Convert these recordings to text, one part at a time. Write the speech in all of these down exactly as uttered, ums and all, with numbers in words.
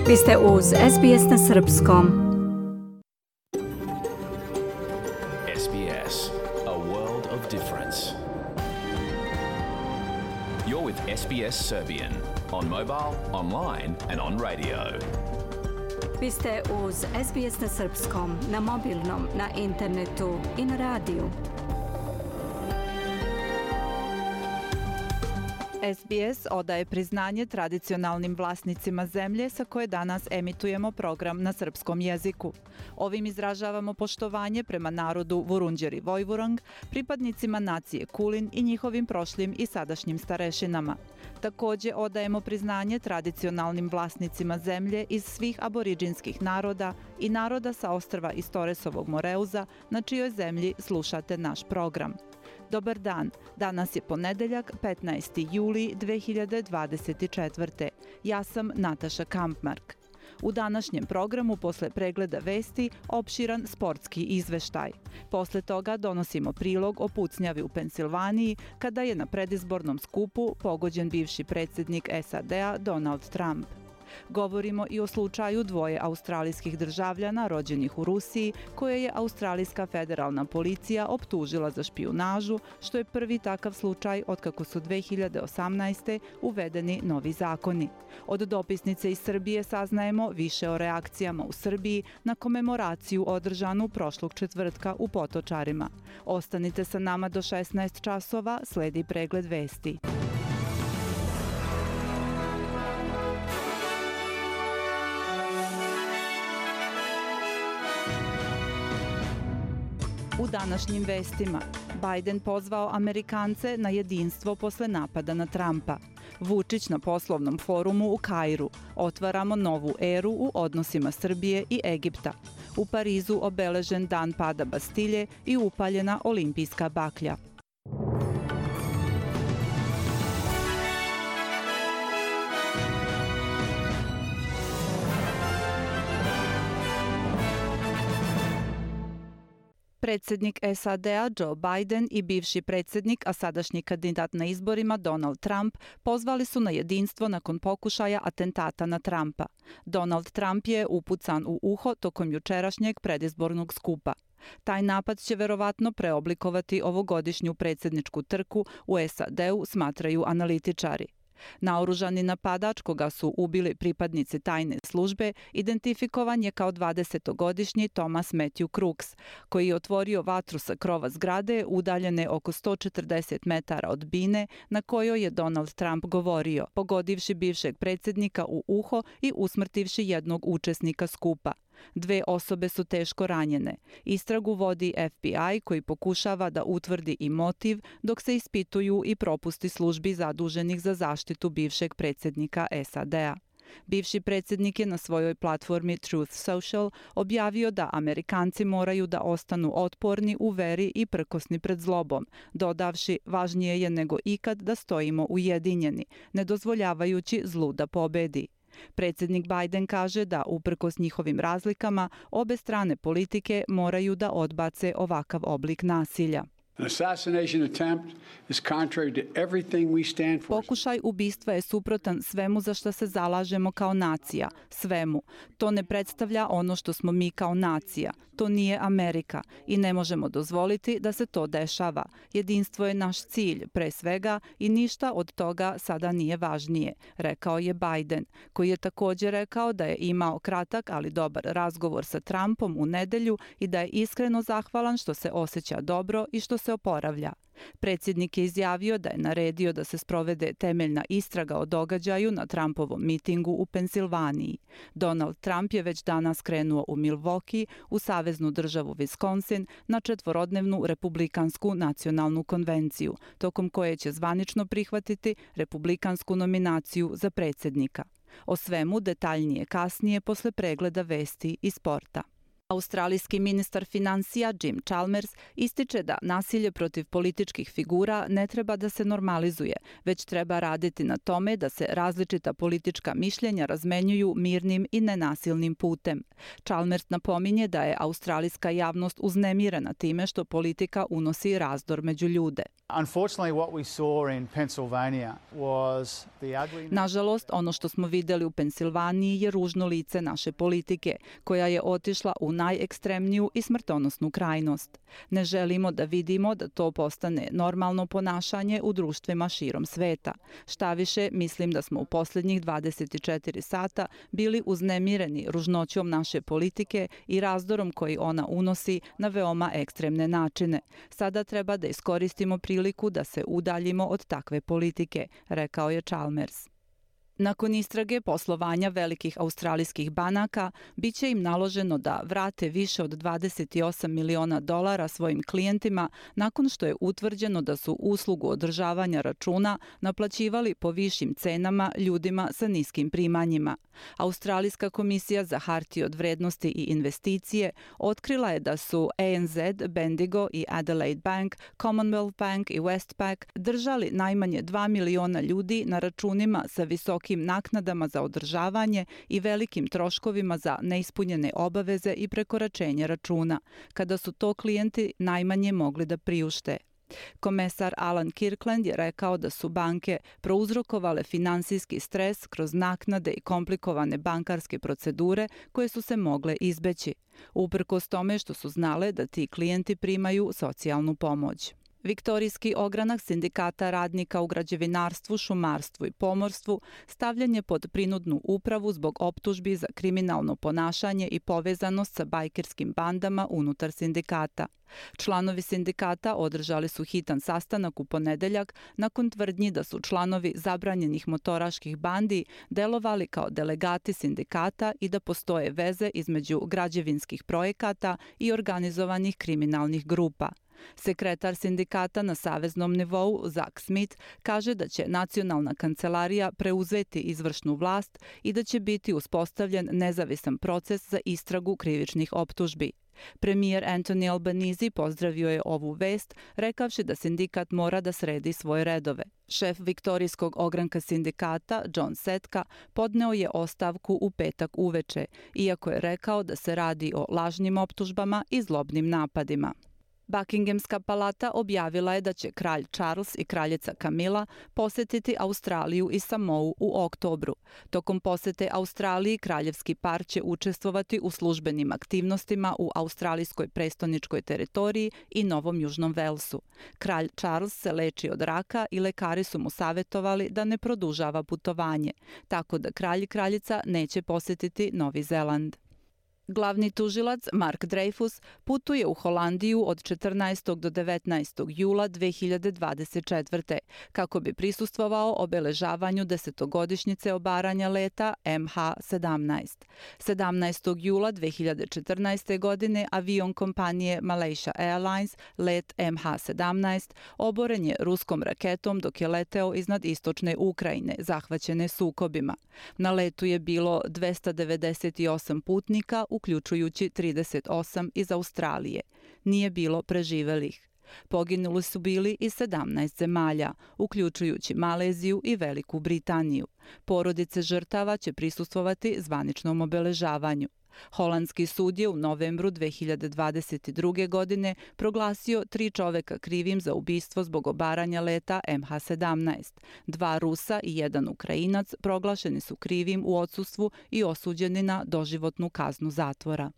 Vi ste uz S B S na srpskom. S B S, a world of difference. You're with S B S Serbian on mobile, online and on radio. Vi ste uz S B S na srpskom, na mobilnom, na internetu i na radiju. S B S odaje priznanje tradicionalnim vlasnicima zemlje sa koje danas emitujemo program na srpskom jeziku. Ovim izražavamo poštovanje prema narodu Vurundjeri Vojvurang, pripadnicima nacije Kulin i njihovim prošlim i sadašnjim starešinama. Također odajemo priznanje tradicionalnim vlasnicima zemlje iz svih aboriđinskih naroda i naroda sa ostrva iz Toresovog Moreuza, na čijoj zemlji slušate naš program. Dobar dan, danas je ponedeljak, petnaesti juli dve hiljade dvadeset četvrte. Ja sam Nataša Kampmark. U današnjem programu posle pregleda vesti opširan sportski izveštaj. Posle toga donosimo prilog o pucnjavi u Pensilvaniji kada je na predizbornom skupu pogođen bivši predsjednik S A D-a Donald Trump. Govorimo i o slučaju dvoje australijskih državljana rođenih u Rusiji koje je australijska federalna policija optužila za špijunažu, što je prvi takav slučaj otkako su dve hiljade osamnaeste. uvedeni novi zakoni. Od dopisnice iz Srbije saznajemo više o reakcijama u Srbiji na komemoraciju održanu prošlog četvrtka u Potočarima. Ostanite sa nama do šesnaest časova, sledi pregled vesti. U današnjim vestima Biden pozvao Amerikance na jedinstvo posle napada na Trumpa. Vučić na poslovnom forumu u Kairu. Otvaramo novu eru u odnosima Srbije i Egipta. U Parizu obeležen dan pada Bastilje i upaljena olimpijska baklja. Predsjednik S A D-a Joe Biden i bivši predsjednik, a sadašnji kandidat na izborima Donald Trump pozvali su na jedinstvo nakon pokušaja atentata na Trumpa. Donald Trump je upucan u uho tokom jučerašnjeg predizbornog skupa. Taj napad će verovatno preoblikovati ovogodišnju predsjedničku trku u S A D-u, smatraju analitičari. Naoružani napadač koga su ubili pripadnici tajne službe identifikovan je kao dvadesetogodišnji Thomas Matthew Crooks, koji je otvorio vatru sa krova zgrade udaljene oko sto četrdeset metara od bine na kojoj je Donald Trump govorio, pogodivši bivšeg predsjednika u uho i usmrtivši jednog učesnika skupa. Dve osobe su teško ranjene. Istragu vodi F B I koji pokušava da utvrdi i motiv dok se ispituju i propusti službi zaduženih za zaštitu bivšeg predsjednika S A D-a. Bivši predsjednik je na svojoj platformi Truth Social objavio da Amerikanci moraju da ostanu otporni u veri i prkosni pred zlobom, dodavši važnije je nego ikad da stojimo ujedinjeni, ne dozvoljavajući zlu da pobedi. Predsjednik Biden kaže da, uprkos njihovim razlikama, obe strane politike moraju da odbace ovakav oblik nasilja. Pokušaj ubistva je suprotan svemu za što se zalažemo kao nacija, svemu. To ne predstavlja ono što smo mi kao nacija. To nije Amerika i ne možemo dozvoliti da se to dešava. Jedinstvo je naš cilj, pre svega, i ništa od toga sada nije važnije, rekao je Biden, koji je također rekao da je imao kratak, ali dobar razgovor sa Trumpom u nedelju i da je iskreno zahvalan što se osjeća dobro i što se oporavlja. Predsjednik je izjavio da je naredio da se sprovede temeljna istraga o događaju na Trumpovom mitingu u Pensilvaniji. Donald Trump je već danas krenuo u Milwaukee, u saveznu državu Wisconsin, na četvorodnevnu republikansku nacionalnu konvenciju, tokom koje će zvanično prihvatiti republikansku nominaciju za predsjednika. O svemu detaljnije kasnije posle pregleda vesti i sporta. Australijski ministar financija Jim Chalmers ističe da nasilje protiv političkih figura ne treba da se normalizuje, već treba raditi na tome da se različita politička mišljenja razmenjuju mirnim i nenasilnim putem. Chalmers napominje da je australijska javnost uznemirena time što politika unosi razdor među ljude. Nažalost, ono što smo vidjeli u Pensilvaniji je ružno lice naše politike, koja je otišla u najekstremniju i smrtonosnu krajnost. Ne želimo da vidimo da to postane normalno ponašanje u društvima širom sveta. Štaviše, mislim da smo u posljednjih dvadeset četiri sata bili uznemireni ružnoćom naše politike i razdorom koji ona unosi na veoma ekstremne načine. Sada treba da iskoristimo priliku da se udaljimo od takve politike, rekao je Chalmers. Nakon istrage poslovanja velikih australijskih banaka, bit će im naloženo da vrate više od dvadeset osam miliona dolara svojim klijentima nakon što je utvrđeno da su uslugu održavanja računa naplaćivali po višim cenama ljudima sa niskim primanjima. Australijska komisija za hartije od vrednosti i investicije otkrila je da su A N Z, Bendigo i Adelaide Bank, Commonwealth Bank i Westpac držali najmanje dva miliona ljudi na računima sa visokim naknadama za održavanje i velikim troškovima za neispunjene obaveze i prekoračenje računa, kada su to klijenti najmanje mogli da priušte. Komesar Alan Kirkland je rekao da su banke prouzrokovale finansijski stres kroz naknade i komplikovane bankarske procedure koje su se mogle izbeći, uprkos tome što su znale da ti klijenti primaju socijalnu pomoć. Viktorijski ogranak sindikata radnika u građevinarstvu, šumarstvu i pomorstvu stavljen je pod prinudnu upravu zbog optužbi za kriminalno ponašanje i povezanost sa bajkerskim bandama unutar sindikata. Članovi sindikata održali su hitan sastanak u ponedeljak nakon tvrdnji da su članovi zabranjenih motoraških bandi delovali kao delegati sindikata i da postoje veze između građevinskih projekata i organizovanih kriminalnih grupa. Sekretar sindikata na saveznom nivou, Zach Smith, kaže da će nacionalna kancelarija preuzeti izvršnu vlast i da će biti uspostavljen nezavisan proces za istragu krivičnih optužbi. Premijer Anthony Albanese pozdravio je ovu vest, rekavši da sindikat mora da sredi svoje redove. Šef Viktorijskog ogranka sindikata, John Setka, podneo je ostavku u petak uveče, iako je rekao da se radi o lažnim optužbama i zlobnim napadima. Buckinghamska palata objavila je da će kralj Charles i kraljica Camilla posetiti Australiju i Samou u oktobru. Tokom posete Australiji kraljevski par će učestvovati u službenim aktivnostima u australijskoj prestoničkoj teritoriji i Novom Južnom Velsu. Kralj Charles se leči od raka i lekari su mu savjetovali da ne produžava putovanje, tako da kralj i kraljica neće posetiti Novi Zeland. Glavni tužilac Mark Dreyfus putuje u Holandiju od četrnaestog do devetnaestog jula dve hiljade dvadeset četvrte. kako bi prisustvovao obeležavanju desetogodišnjice obaranja leta M H sedamnaest. sedamnaestog jula dve hiljade četrnaeste. godine avion kompanije Malaysia Airlines, let M H sedamnaest, oboren je ruskom raketom dok je leteo iznad istočne Ukrajine, zahvaćene sukobima. Na letu je bilo dvesta devedeset osam putnika, uključujući trideset osam iz Australije. Nije bilo preživelih. Poginuli su bili iz sedamnaest zemalja, uključujući Maleziju i Veliku Britaniju. Porodice žrtava će prisustvovati zvaničnom obeležavanju. Holandski sud je u novembru dve hiljade dvadeset druge. godine proglasio tri čoveka krivim za ubistvo zbog obaranja leta M H sedamnaest. Dva Rusa i jedan Ukrajinac proglašeni su krivim u odsustvu i osuđeni na doživotnu kaznu zatvora.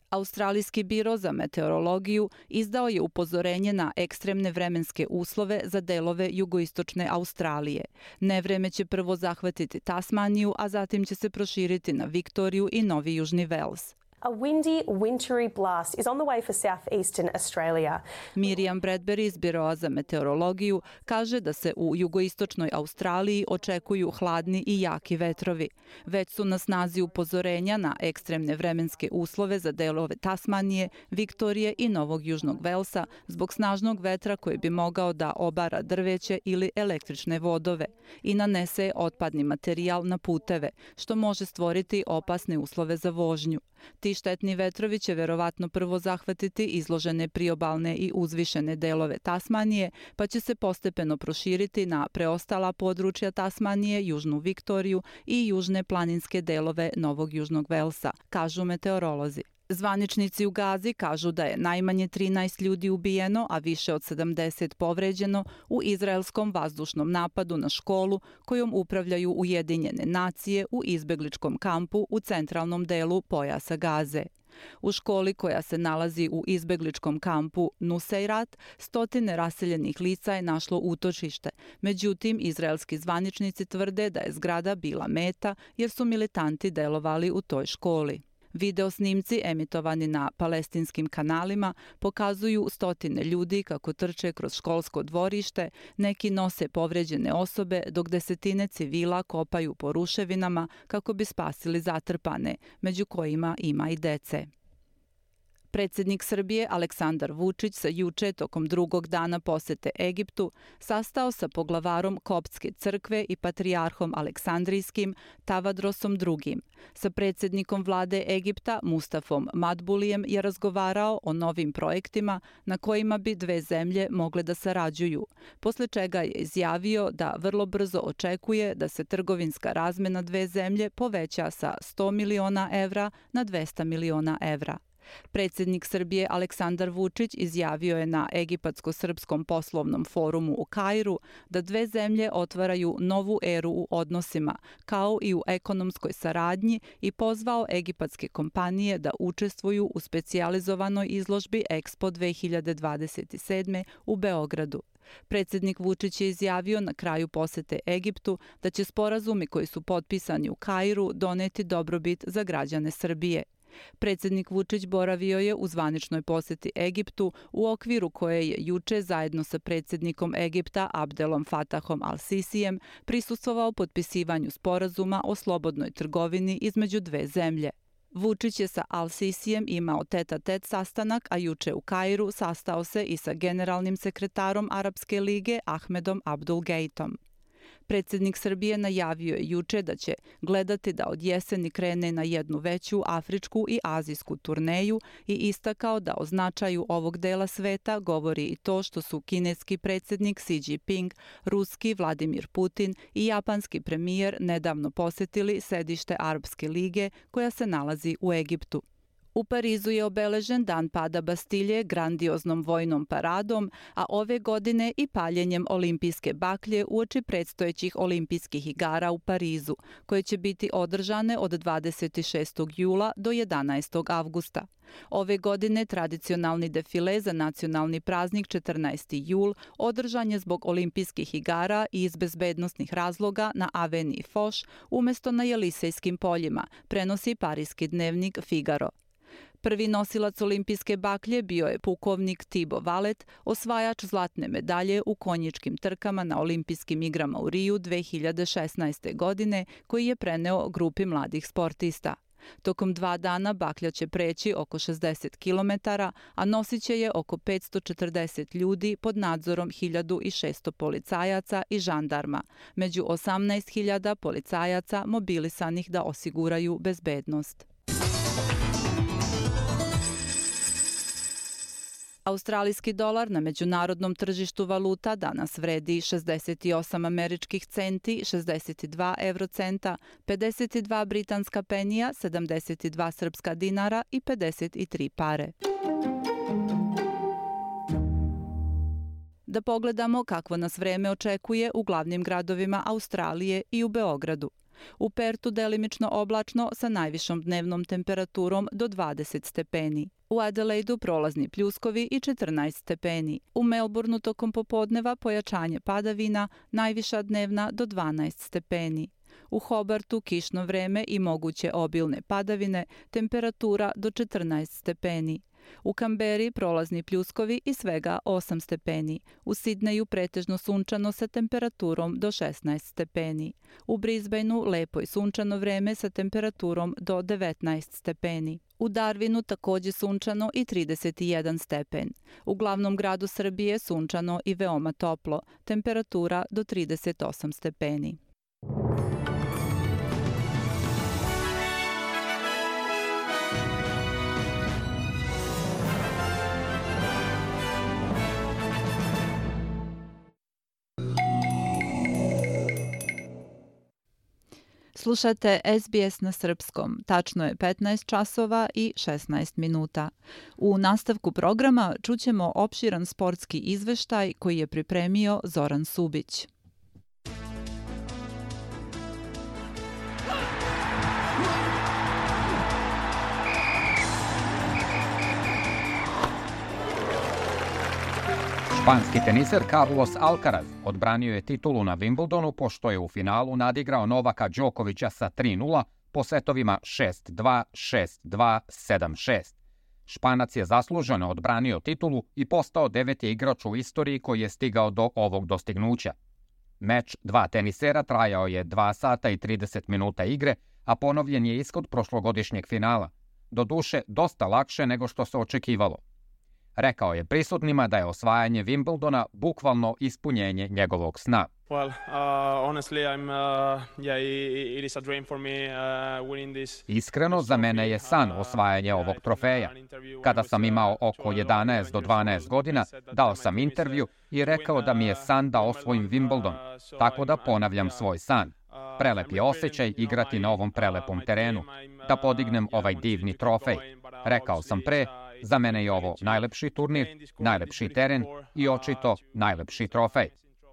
Australijski biro za meteorologiju izdao je upozorenje na ekstremne vremenske uslove za delove jugoistočne Australije. Nevreme će prvo zahvatiti Tasmaniju, a zatim će se proširiti na Viktoriju i Novi Južni Vels. A windy, wintry blast is on the way for southeastern Australia. Miriam Bradbury iz Biroa za meteorologiju kaže da se u jugoistočnoj Australiji očekuju hladni i jaki vetrovi. Već su na snazi upozorenja na ekstremne vremenske uslove za delove Tasmanije, Viktorije i Novog Južnog Velsa zbog snažnog vetra koji bi mogao da obara drveće ili električne vodove i nanese otpadni materijal na puteve, što može stvoriti opasne uslove za vožnju. Ti Ti štetni vetrovi će verovatno prvo zahvatiti izložene priobalne i uzvišene delove Tasmanije, pa će se postepeno proširiti na preostala područja Tasmanije, Južnu Viktoriju i južne planinske delove Novog Južnog Velsa, kažu meteorolozi. Zvaničnici u Gazi kažu da je najmanje trinaest ljudi ubijeno, a više od sedamdeset povređeno u izraelskom vazdušnom napadu na školu kojom upravljaju Ujedinjene nacije u izbegličkom kampu u centralnom delu pojasa Gaze. U školi koja se nalazi u izbegličkom kampu Nuseirat, stotine raseljenih lica je našlo utočište. Međutim, izraelski zvaničnici tvrde da je zgrada bila meta jer su militanti delovali u toj školi. Video snimci emitovani na palestinskim kanalima pokazuju stotine ljudi kako trče kroz školsko dvorište, neki nose povređene osobe, dok desetine civila kopaju po ruševinama kako bi spasili zatrpane, među kojima ima i dece. Predsjednik Srbije Aleksandar Vučić se juče tokom drugog dana posete Egiptu sastao sa poglavarom Koptske crkve i patrijarhom Aleksandrijskim Tavadrosom drugim. Sa predsjednikom vlade Egipta Mustafom Madbulijem je razgovarao o novim projektima na kojima bi dve zemlje mogle da sarađuju, posle čega je izjavio da vrlo brzo očekuje da se trgovinska razmena dve zemlje poveća sa sto miliona evra na dvesta miliona evra. Predsjednik Srbije Aleksandar Vučić izjavio je na Egipatsko-srpskom poslovnom forumu u Kairu da dve zemlje otvaraju novu eru u odnosima, kao i u ekonomskoj saradnji, i pozvao egipatske kompanije da učestvuju u specijalizovanoj izložbi Expo dve hiljade dvadeset sedme u Beogradu. Predsjednik Vučić je izjavio na kraju posete Egiptu da će sporazumi koji su potpisani u Kairu doneti dobrobit za građane Srbije. Predsjednik Vučić boravio je u zvaničnoj poseti Egiptu u okviru koje je juče zajedno sa predsjednikom Egipta Abdelom Fatahom al-Sisijem prisustvovao potpisivanju sporazuma o slobodnoj trgovini između dve zemlje. Vučić je sa al-Sisijem imao tet-a-tet sastanak, a juče u Kairu sastao se i sa generalnim sekretarom Arapske lige Ahmedom Abdul-Geitom. Predsjednik Srbije najavio je juče da će gledati da od jeseni krene na jednu veću afričku i azijsku turneju i istakao da o značaju ovog dela sveta govori i to što su kineski predsjednik Xi Jinping, ruski Vladimir Putin i japanski premijer nedavno posjetili sedište Arapske lige koja se nalazi u Egiptu. U Parizu je obeležen dan pada Bastilje grandioznom vojnom paradom, a ove godine i paljenjem olimpijske baklje uoči predstojećih olimpijskih igara u Parizu, koje će biti održane od dvadeset šestog jula do jedanaestog avgusta. Ove godine tradicionalni defile za nacionalni praznik četrnaesti jul održan je zbog olimpijskih igara i iz bezbednosnih razloga na Avenue Foch umjesto na Jelisejskim poljima, prenosi parijski dnevnik Figaro. Prvi nosilac olimpijske baklje bio je pukovnik Thibaut Vallet, osvajač zlatne medalje u konjičkim trkama na olimpijskim igrama u Riju dve hiljade šesnaeste. godine, koji je preneo grupi mladih sportista. Tokom dva dana baklja će preći oko šezdeset kilometara, a nosit će je oko petsto četrdeset ljudi pod nadzorom hiljadu šesto policajaca i žandarma, među osamnaest hiljada policajaca mobilisanih da osiguraju bezbednost. Australijski dolar na međunarodnom tržištu valuta danas vredi šezdeset osam američkih centi, šezdeset dva eurocenta, pedeset dva britanska penija, sedamdeset dva srpska dinara i pedeset tri pare. Da pogledamo kakvo nas vreme očekuje u glavnim gradovima Australije i u Beogradu. U Pertu delimično oblačno sa najvišom dnevnom temperaturom do dvadeset stepeni. U Adelaidu prolazni pljuskovi i četrnaest stepeni. U Melbourneu tokom popodneva pojačanje padavina, najviša dnevna do dvanaest stepeni. U Hobartu kišno vreme i moguće obilne padavine, temperatura do četrnaest stepeni. U Kamberi prolazni pljuskovi i svega osam stepeni. U Sidneju pretežno sunčano sa temperaturom do šesnaest stepeni. U Brisbaneu lepo i sunčano vreme sa temperaturom do devetnaest stepeni. U Darwinu takođe sunčano i trideset jedan stepen. U glavnom gradu Srbije sunčano i veoma toplo, temperatura do trideset osam stepeni. Slušate S B S na srpskom. Tačno je petnaest časova i šesnaest minuta. U nastavku programa čućemo opširan sportski izveštaj koji je pripremio Zoran Subić. Španski teniser Carlos Alcaraz odbranio je titulu na Wimbledonu pošto je u finalu nadigrao Novaka Đokovića sa tri nula po setovima šest dva, šest dva, sedam šest. Španac je zasluženo odbranio titulu i postao deveti igrač u istoriji koji je stigao do ovog dostignuća. Meč dva tenisera trajao je dva sata i trideset minuta igre, a ponovljen je ishod prošlogodišnjeg finala. Doduše, dosta lakše nego što se očekivalo. Rekao je prisutnima da je osvajanje Wimbledona bukvalno ispunjenje njegovog sna. Well, uh, honestly, I'm, uh, yeah, it is a dream for me, uh, winning this. Iskreno, za mene je san osvajanje ovog trofeja. Kada sam imao oko jedanaest do dvanaest godina, dao sam intervju i rekao da mi je san da osvojim Wimbledon, tako da ponavljam svoj san. Prelep je osjećaj igrati na ovom prelepom terenu, da podignem ovaj divni trofej. Rekao sam pre, za mene je ovo najlepši turnir, najlepši teren i očito najlepši trofej.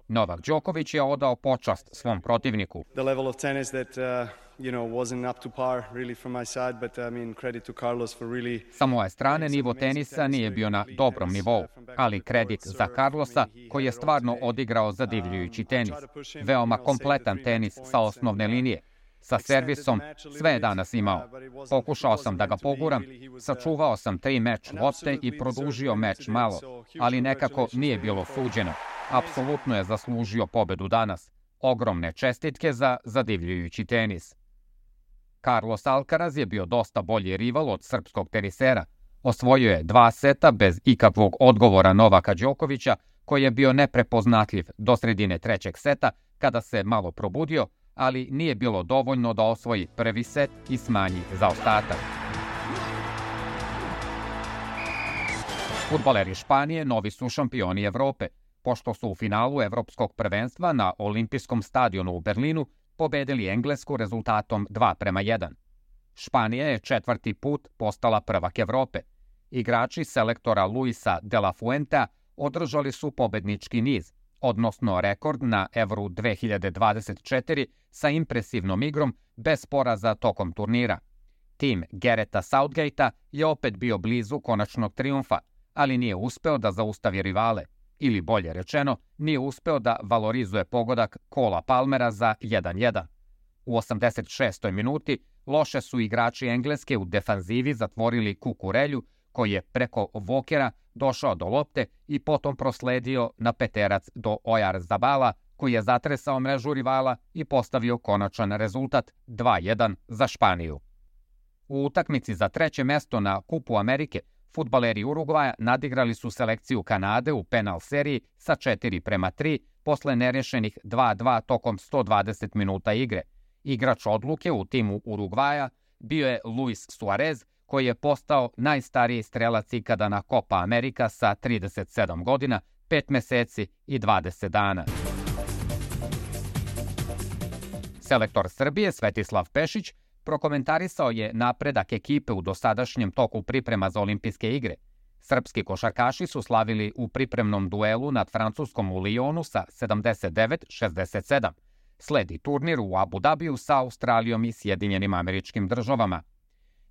Novak Đoković je odao počast svom protivniku. The level of tennis that, uh, you know, wasn't up to par really from my side, but I mean credit to Carlos for really. Sa moje strane nivo tenisa nije bio na dobrom nivou, ali kredit za Carlosa koji je stvarno odigrao zadivljujući tenis. Veoma kompletan tenis sa osnovne linije. Sa servisom sve je danas imao. Pokušao sam da ga poguram, sačuvao sam tri meč lopte i produžio meč malo, ali nekako nije bilo suđeno. Apsolutno je zaslužio pobedu danas. Ogromne čestitke za zadivljujući tenis. Carlos Alcaraz je bio dosta bolji rival od srpskog tenisera. Osvojio je dva seta bez ikakvog odgovora Novaka Đokovića, koji je bio neprepoznatljiv do sredine trećeg seta kada se malo probudio, ali nije bilo dovoljno da osvoji prvi set i smanji zaostatak. Fudbaleri Španije novi su šampioni Evrope, pošto su u finalu Evropskog prvenstva na Olimpijskom stadionu u Berlinu pobedili Englesku rezultatom dva prema jedan. Španija je četvrti put postala prvak Evrope. Igrači selektora Luisa de la Fuentea održali su pobednički niz, odnosno rekord na Evru dve hiljade dvadeset četiri sa impresivnom igrom bez poraza tokom turnira. Tim Gareta Southgatea je opet bio blizu konačnog trijumfa, ali nije uspeo da zaustavi rivale, ili bolje rečeno, nije uspeo da valorizuje pogodak Cola Palmera za jedan jedan. U osamdeset šestoj minuti loše su igrači Engleske u defanzivi zatvorili Kukurelju, koji je preko Vokera došao do lopte i potom prosledio na peterac do Oyarzabala, koji je zatresao mrežu rivala i postavio konačan rezultat dva jedan za Španiju. U utakmici za treće mesto na Kupu Amerike, fudbaleri Urugvaja nadigrali su selekciju Kanade u penal seriji sa četiri prema tri posle nerješenih dva dva tokom sto dvadeset minuta igre. Igrač odluke u timu Urugvaja bio je Luis Suarez, koji je postao najstariji strelac ikada na Copa America sa trideset sedam godina, pet meseci i dvadeset dana. Selektor Srbije Svetislav Pešić prokomentarisao je napredak ekipe u dosadašnjem toku priprema za olimpijske igre. Srpski košarkaši su slavili u pripremnom duelu nad Francuskom u Lyonu sa sedamdeset devet šezdeset sedam. Sledi turnir u Abu Dabiju sa Australijom i Sjedinjenim Američkim Državama.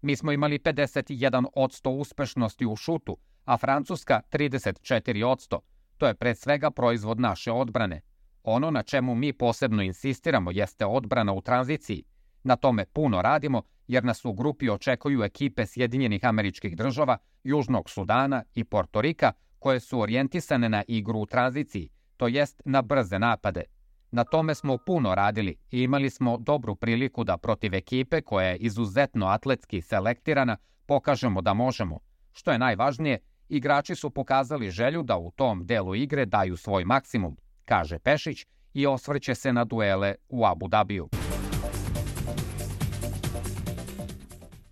Mi smo imali pedeset jedan posto uspešnosti u šutu, a Francuska trideset četiri posto. To je pred svega proizvod naše odbrane. Ono na čemu mi posebno insistiramo jeste odbrana u tranziciji. Na tome puno radimo jer nas u grupi očekuju ekipe Sjedinjenih Američkih Država, Južnog Sudana i Portorika koje su orijentisane na igru u tranziciji, to jest na brze napade. Na tome smo puno radili i imali smo dobru priliku da protiv ekipe koja je izuzetno atletski selektirana pokažemo da možemo. Što je najvažnije, igrači su pokazali želju da u tom delu igre daju svoj maksimum, kaže Pešić i osvrće se na duele u Abu Dabiju.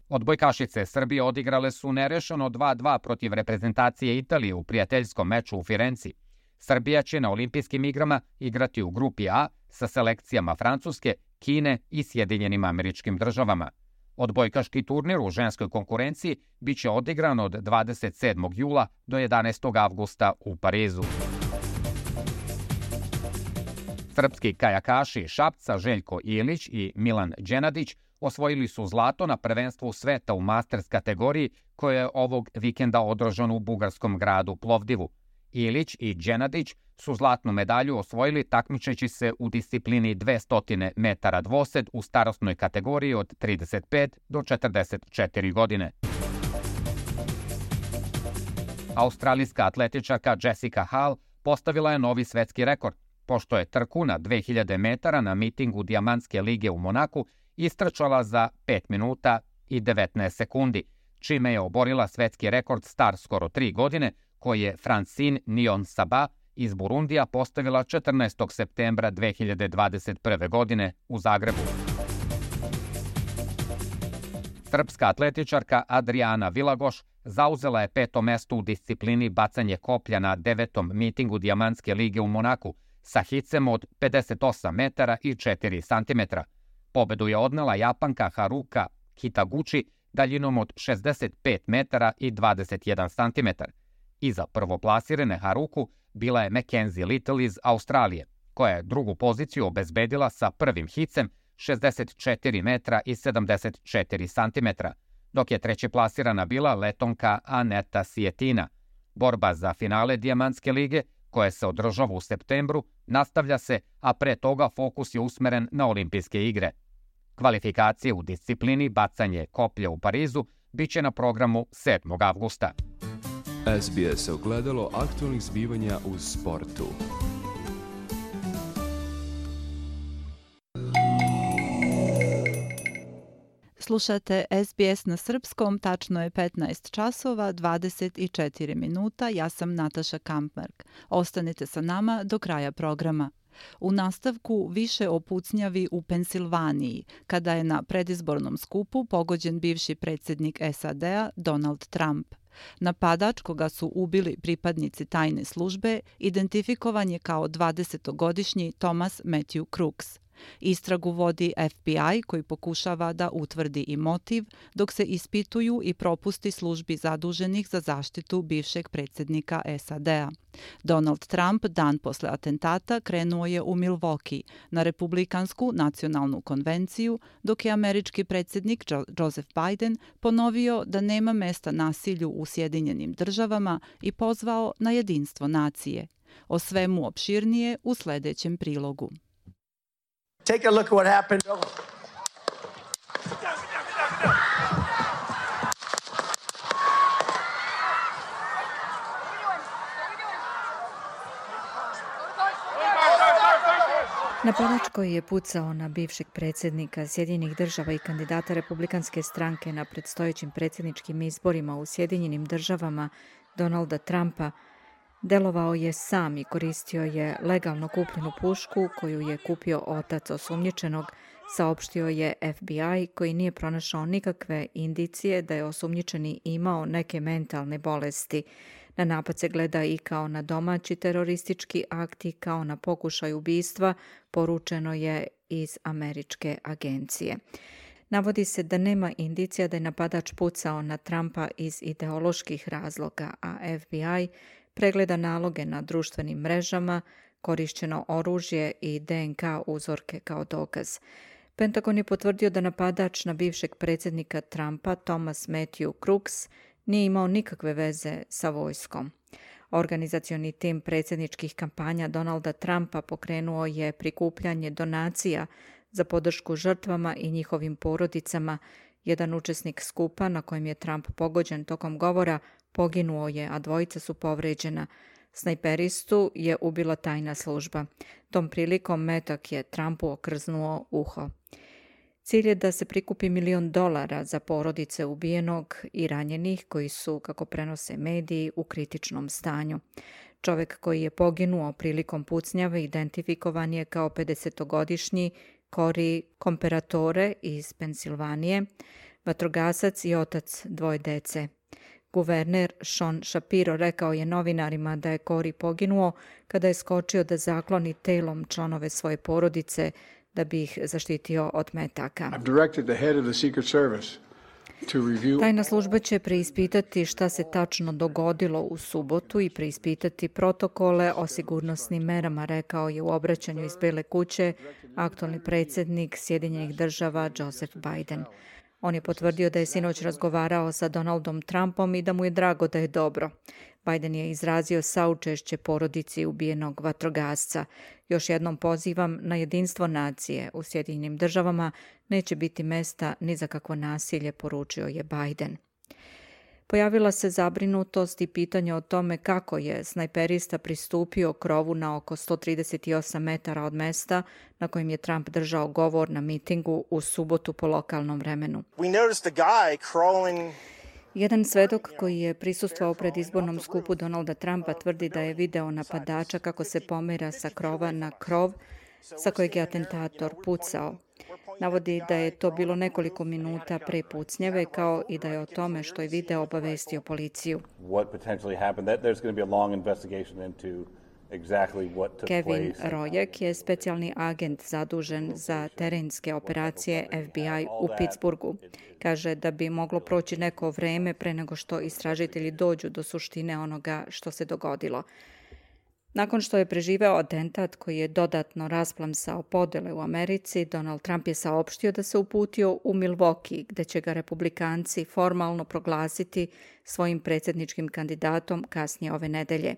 Odbojkašice Srbije odigrale su nerešeno dva dva protiv reprezentacije Italije u prijateljskom meču u Firenci. Srbija će na olimpijskim igrama igrati u grupi A sa selekcijama Francuske, Kine i Sjedinjenim Američkim Državama. Odbojkaški turnir u ženskoj konkurenciji biće odigran od dvadeset sedmog jula do jedanaestog avgusta u Parizu. Srpski kajakaši Šapca Željko Ilić i Milan Đenadić osvojili su zlato na prvenstvu sveta u Masters kategoriji koje je ovog vikenda održano u bugarskom gradu Plovdivu. Ilić i Đenadić su zlatnu medalju osvojili takmičeći se u disciplini dvesta metara dvosed u starosnoj kategoriji od trideset pet do četrdeset četiri godine. Australijska atletičarka Jessica Hall postavila je novi svetski rekord, pošto je trku na dve hiljade metara na mitingu Dijamantske lige u Monaku istrčala za pet minuta i devetnaest sekundi, čime je oborila svetski rekord star skoro tri godine, koji je Francine Niyonsaba iz Burundija postavila četrnaestog septembra dve hiljade dvadeset prve. godine u Zagrebu. Srpska atletičarka Adriana Vilagoš zauzela je peto mesto u disciplini bacanje koplja na devetom mitingu Dijamantske lige u Monaku sa hicem od pedeset osam metara i četiri santimetra. Pobedu je odnela Japanka Haruka Kitaguchi daljinom od šezdeset pet metara i dvadeset jedan santimetar. Iza prvoplasirane Haruku bila je Mackenzie Little iz Australije, koja je drugu poziciju obezbedila sa prvim hicem šezdeset četiri metra i sedamdeset četiri santimetra, dok je treće plasirana bila Letonka Aneta Sietina. Borba za finale Dijamantske lige, koja se održava u septembru, nastavlja se, a pre toga fokus je usmeren na olimpijske igre. Kvalifikacije u disciplini bacanje koplja u Parizu biće na programu sedmog avgusta. S B S ogledalo aktualnih zbivanja u sportu. Slušate S B S na srpskom, tačno je petnaest časova, dvadeset četiri minuta, ja sam Nataša Kampmark. Ostanite sa nama do kraja programa. U nastavku više o pucnjavi u Pensilvaniji, kada je na predizbornom skupu pogođen bivši predsjednik S A D-a Donald Trump. Napadač koga su ubili pripadnici tajne službe identifikovan je kao dvadesetogodišnji Thomas Matthew Crooks. Istragu vodi F B I koji pokušava da utvrdi i motiv, dok se ispituju i propusti službi zaduženih za zaštitu bivšeg predsjednika S A D-a. Donald Trump dan posle atentata krenuo je u Milwaukee na Republikansku nacionalnu konvenciju, dok je američki predsjednik Joseph Biden ponovio da nema mesta nasilju u Sjedinjenim državama i pozvao na jedinstvo nacije. O svemu opširnije u sljedećem prilogu. Take a look at what happened. Napadač koji je pucao na bivšeg predsjednika Sjedinjenih država i kandidata Republikanske stranke na predstojećim predsjedničkim izborima u Sjedinjenim državama Donalda Trumpa delovao je sam i koristio je legalno kupljenu pušku koju je kupio otac osumnjičenog, saopštio je F B I koji nije pronašao nikakve indicije da je osumnjičeni imao neke mentalne bolesti. Na napad se gleda i kao na domaći teroristički akt i kao na pokušaj ubistva, poručeno je iz američke agencije. Navodi se da nema indicija da je napadač pucao na Trumpa iz ideoloških razloga, a F B I pregleda naloge na društvenim mrežama, korišćeno oružje i D N K uzorke kao dokaz. Pentagon je potvrdio da napadač na bivšeg predsjednika Trumpa, Thomas Matthew Crooks, nije imao nikakve veze sa vojskom. Organizacioni tim predsjedničkih kampanja Donalda Trumpa pokrenuo je prikupljanje donacija za podršku žrtvama i njihovim porodicama. Jedan učesnik skupa na kojem je Trump pogođen tokom govora poginuo je, a dvojica su povređena. Snajperistu je ubila tajna služba. Tom prilikom metak je Trumpu okrznuo uho. Cilj je da se prikupi milion dolara za porodice ubijenog i ranjenih koji su, kako prenose mediji, u kritičnom stanju. Čovjek koji je poginuo prilikom pucnjave identifikovan je kao pedesetogodišnji Cory Comparatore iz Pensilvanije, vatrogasac i otac dvoje dece. Guverner Sean Shapiro rekao je novinarima da je Cory poginuo kada je skočio da zakloni telom članove svoje porodice da bi ih zaštitio od metaka. Tajna služba će preispitati šta se tačno dogodilo u subotu i preispitati protokole o sigurnosnim merama, rekao je u obraćanju iz Bele kuće aktualni predsjednik Sjedinjenih država Joseph Biden. On je potvrdio da je sinoć razgovarao sa Donaldom Trumpom i da mu je drago da je dobro. Biden je izrazio saučešće porodici ubijenog vatrogasca. Još jednom pozivam na jedinstvo nacije. U Sjedinjenim državama neće biti mesta ni za kakvo nasilje, poručio je Biden. Pojavila se zabrinutost i pitanje o tome kako je snajperista pristupio krovu na oko sto trideset osam metara od mesta na kojem je Trump držao govor na mitingu u subotu po lokalnom vremenu. Jedan svedok koji je prisustvovao pred izbornom skupu Donalda Trumpa tvrdi da je video napadača kako se pomera sa krova na krov sa kojeg je atentator pucao. Navodi da je to bilo nekoliko minuta pre pucnjeve, kao i da je o tome što je video obavestio policiju. Kevin Rojek je specijalni agent zadužen za terenske operacije F B I u Pittsburghu. Kaže da bi moglo proći neko vreme pre nego što istražitelji dođu do suštine onoga što se dogodilo. Nakon što je preživeo atentat koji je dodatno rasplamsao podele u Americi, Donald Trump je saopštio da se uputio u Milwaukee, gde će ga republikanci formalno proglasiti svojim predsjedničkim kandidatom kasnije ove nedelje.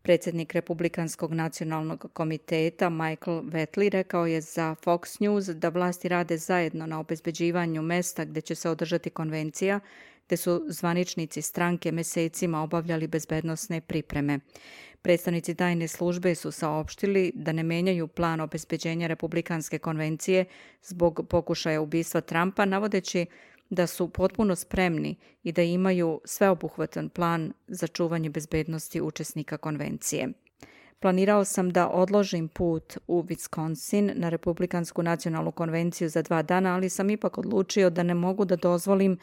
Predsjednik Republikanskog nacionalnog komiteta Michael Whatley rekao je za Fox News da vlasti rade zajedno na obezbeđivanju mesta gde će se održati konvencija, gde su zvaničnici stranke mesecima obavljali bezbednosne pripreme. Predstavnici tajne službe su saopštili da ne menjaju plan obezbeđenja republikanske konvencije zbog pokušaja ubistva Trumpa, navodeći da su potpuno spremni i da imaju sveobuhvatan plan za čuvanje bezbednosti učesnika konvencije. Planirao sam da odložim put u Wisconsin na Republikansku nacionalnu konvenciju za dva dana, ali sam ipak odlučio da ne mogu da dozvolim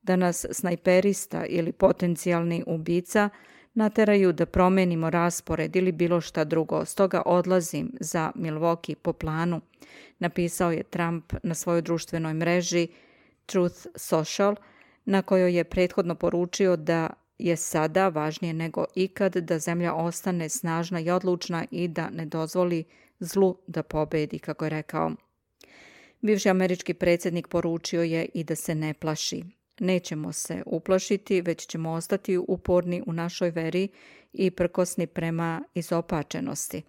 da nas snajperista ili potencijalni ubica nateraju da promenimo raspored ili bilo šta drugo. Stoga odlazim za Milwaukee po planu, napisao je Trump na svojoj društvenoj mreži Truth Social, na kojoj je prethodno poručio da je sada važnije nego ikad da zemlja ostane snažna i odlučna i da ne dozvoli zlu da pobedi, kako je rekao. Bivši američki predsjednik poručio je i da se ne plaši. Nećemo se uplašiti, već ćemo ostati uporni u našoj veri i prkosni prema izopačenosti.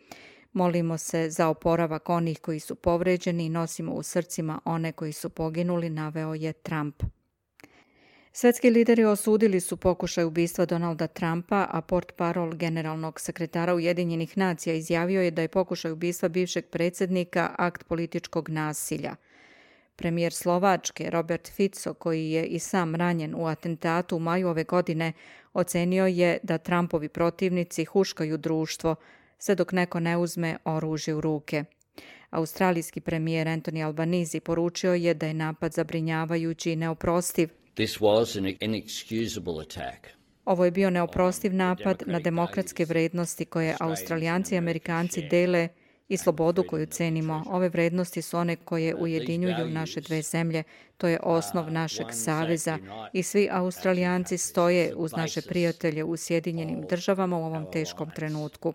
Molimo se za oporavak onih koji su povređeni i nosimo u srcima one koji su poginuli, naveo je Trump. Svetski lideri osudili su pokušaj ubistva Donalda Trumpa, a portparol generalnog sekretara Ujedinjenih nacija izjavio je da je pokušaj ubistva bivšeg predsjednika akt političkog nasilja. Premijer Slovačke Robert Fico, koji je i sam ranjen u atentatu u maju ove godine, ocenio je da Trumpovi protivnici huškaju društvo, sve dok neko ne uzme oružje u ruke. Australijski premijer Anthony Albanese poručio je da je napad zabrinjavajući i neoprostiv. This was an inexcusable attack. Ovo je bio neoprostiv napad na demokratske vrednosti koje Australijanci i Amerikanci dele i slobodu koju cenimo. Ove vrednosti su one koje ujedinjuju naše dve zemlje. To je osnov našeg saveza i svi Australijanci stoje uz naše prijatelje u Sjedinjenim državama u ovom teškom trenutku.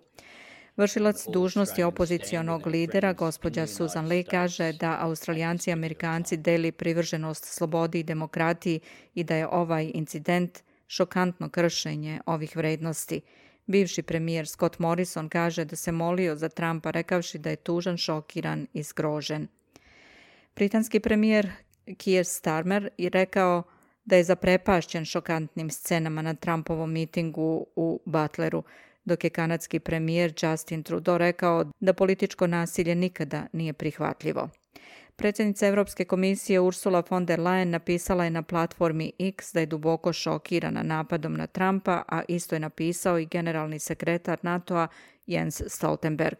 Vršilac dužnosti opozicionog lidera, gospođa Susan Lee, kaže da Australijanci i Amerikanci deli privrženost slobodi i demokratiji i da je ovaj incident šokantno kršenje ovih vrednosti. Bivši premijer Scott Morrison kaže da se molio za Trumpa, rekavši da je tužan, šokiran i zgrožen. Britanski premijer Keir Starmer je rekao da je zaprepašćen šokantnim scenama na Trumpovom mitingu u Butleru, dok je kanadski premijer Justin Trudeau rekao da političko nasilje nikada nije prihvatljivo. Predsjednica Europske komisije Ursula von der Leyen napisala je na platformi X da je duboko šokirana napadom na Trumpa, a isto je napisao i generalni sekretar NATO-a Jens Stoltenberg.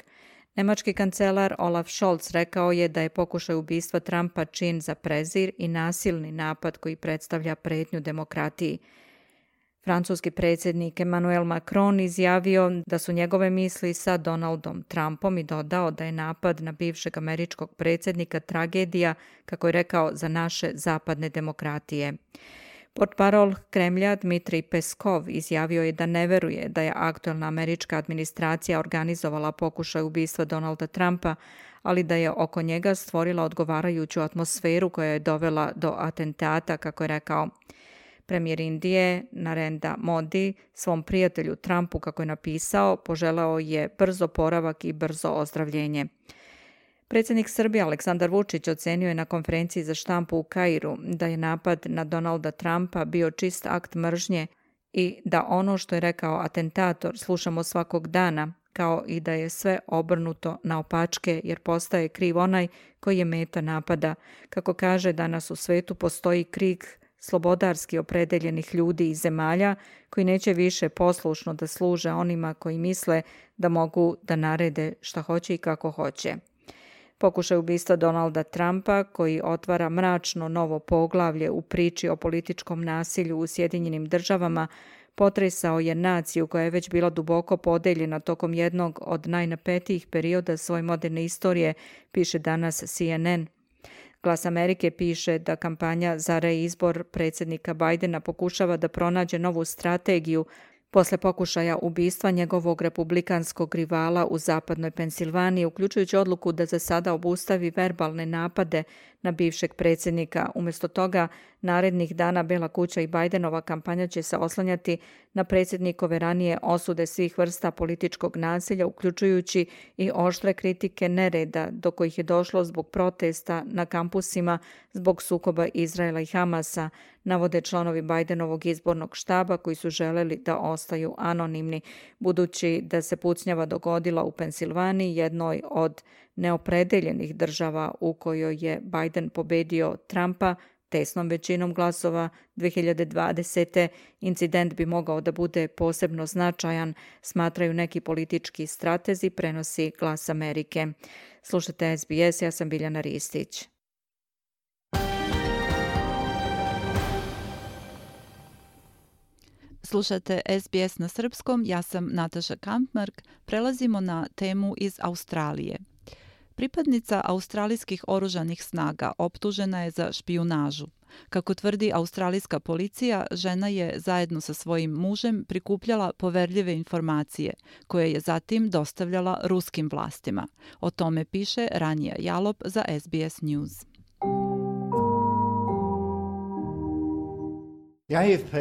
Nemački kancelar Olaf Scholz rekao je da je pokušaj ubistva Trumpa čin za prezir i nasilni napad koji predstavlja pretnju demokratiji. Francuski predsjednik Emmanuel Macron izjavio da su njegove misli sa Donaldom Trumpom i dodao da je napad na bivšeg američkog predsjednika tragedija, kako je rekao, za naše zapadne demokratije. Portparol Kremlja Dmitrij Peskov izjavio je da ne veruje da je aktuelna američka administracija organizovala pokušaj ubistva Donalda Trumpa, ali da je oko njega stvorila odgovarajuću atmosferu koja je dovela do atentata, kako je rekao. Premijer Indije Narendra Modi svom prijatelju Trumpu, kako je napisao, poželeo je brz oporavak i brzo ozdravljenje. Predsjednik Srbije Aleksandar Vučić ocenio je na konferenciji za štampu u Kairu da je napad na Donalda Trumpa bio čist akt mržnje i da ono što je rekao atentator slušamo svakog dana, kao i da je sve obrnuto naopačke jer postaje kriv onaj koji je meta napada. Kako kaže, danas u svetu postoji krik slobodarski opredeljenih ljudi i zemalja koji neće više poslušno da služe onima koji misle da mogu da narede šta hoće i kako hoće. Pokušaj ubistva Donalda Trumpa, koji otvara mračno novo poglavlje u priči o političkom nasilju u Sjedinjenim državama, potresao je naciju koja je već bila duboko podeljena tokom jednog od najnapetijih perioda svoje moderne istorije, piše danas C N N. Glas Amerike piše da kampanja za reizbor predsjednika Bajdena pokušava da pronađe novu strategiju posle pokušaja ubistva njegovog republikanskog rivala u zapadnoj Pensilvaniji, uključujući odluku da za sada obustavi verbalne napade na bivšeg predsjednika. Umjesto toga, narednih dana Bela kuća i Bajdenova kampanja će se oslanjati na predsjednikove ranije osude svih vrsta političkog nasilja, uključujući i oštre kritike nereda do kojih je došlo zbog protesta na kampusima zbog sukoba Izraela i Hamasa, navode članovi Bajdenovog izbornog štaba koji su želeli da ostaju anonimni, budući da se pucnjava dogodila u Pensilvaniji, jednoj od neopredeljenih država u kojoj je Bajden pobedio Trumpa tesnom većinom glasova dve hiljade dvadesete. Incident bi mogao da bude posebno značajan, smatraju neki politički stratezi, prenosi Glas Amerike. Slušate S B S, ja sam Biljana Ristić. Slušate S B S na srpskom, ja sam Nataša Kampmark. Prelazimo na temu iz Australije. Pripadnica australijskih oružanih snaga optužena je za špijunažu. Kako tvrdi australijska policija, žena je zajedno sa svojim mužem prikupljala poverljive informacije, koje je zatim dostavljala ruskim vlastima. O tome piše Rania Jalop za S B S News. The A F P